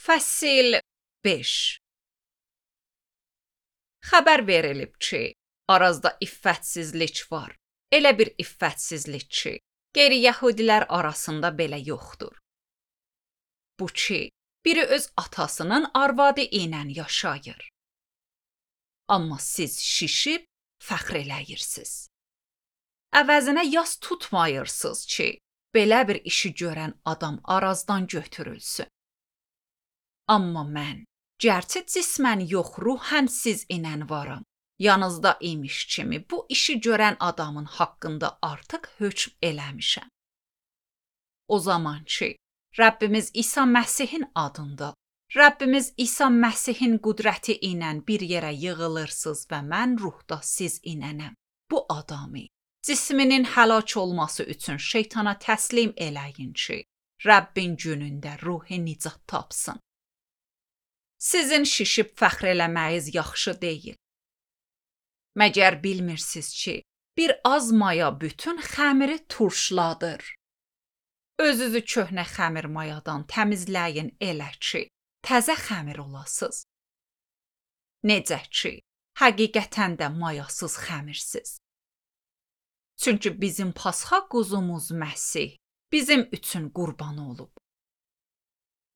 Fəsil 5. Xəbər verilib ki, Arazda iffətsizlik var. Elə bir iffətsizlik ki, qeyri-yəhudilər arasında belə yoxdur. Bu ki, biri öz atasının arvadı ilə yaşayır. Amma siz şişib fəxr eləyirsiniz. Əvəzinə yas tutmayırsınız ki, belə bir işi görən adam Arazdan götürülsün. Amma mən, gərçi cismən yox, ruhən siz ilə varam. Yanınızda imiş kimi bu işi görən adamın haqqında artıq hökm eləmişəm. O zaman ki, Rəbbimiz İsa Məsihin adında, Rəbbimiz İsa Məsihin qüdrəti ilə bir yerə yığılırsınız və mən ruhda siz ilənəm. Bu adamı cisminin həlak olması üçün şeytana təslim eləyin ki, Rəbbin günündə ruhi nicat tapsın. Sizin şişib fəxr eləməyiz yaxşı deyil. Məgər bilmirsiniz ki, bir az maya bütün xəmiri turşladır. Özünüzü köhnə xəmir mayadan təmizləyin elə ki, təzə xəmir olasınız. Necə ki, həqiqətən də mayasız xəmirsiz. Çünki bizim Pasxa quzumuz Məsih bizim üçün qurban olub.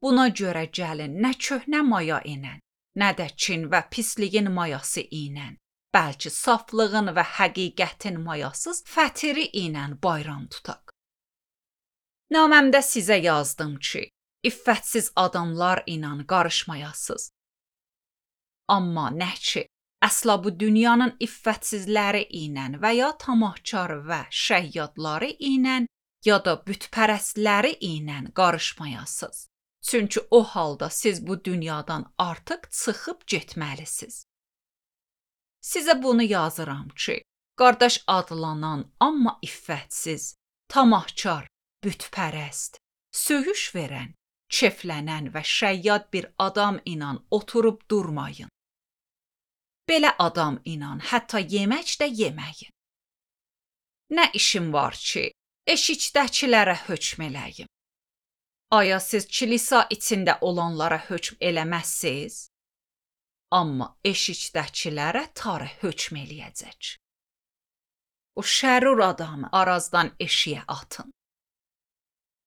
Buna görə gəlin nə köhnə maya ilə, nə də kin və pisliyin mayası ilə, bəlkə saflığın və həqiqətin mayasız fətiri ilə bayram tutaq. Naməmdə sizə yazdım ki, iffətsiz adamlar ilə qarışmayasız. Amma nə ki, əsla bu dünyanın iffətsizləri ilə və ya tamahkar və şəyyadları ilə ya da bütpərəstləri ilə qarışmayasız. Çünki o halda siz bu dünyadan artıq çıxıb getməlisiniz. Sizə bunu yazıram ki, qardaş adlanan, amma iffətsiz, tamahkar, bütpərəst, söyüş verən, keflənən və şəyyad bir adam ilə oturub durmayın. Belə adam ilə hətta yemək də yeməyin. Nə işim var ki, eşikdəkilərə hökm eləyim? Aya siz kilisa içində olanlara hökm eləməzsiniz? Amma eşikdəkilərə Tanrı hökm eləyəcək. O şərur adamı Arazdan eşiyə atın.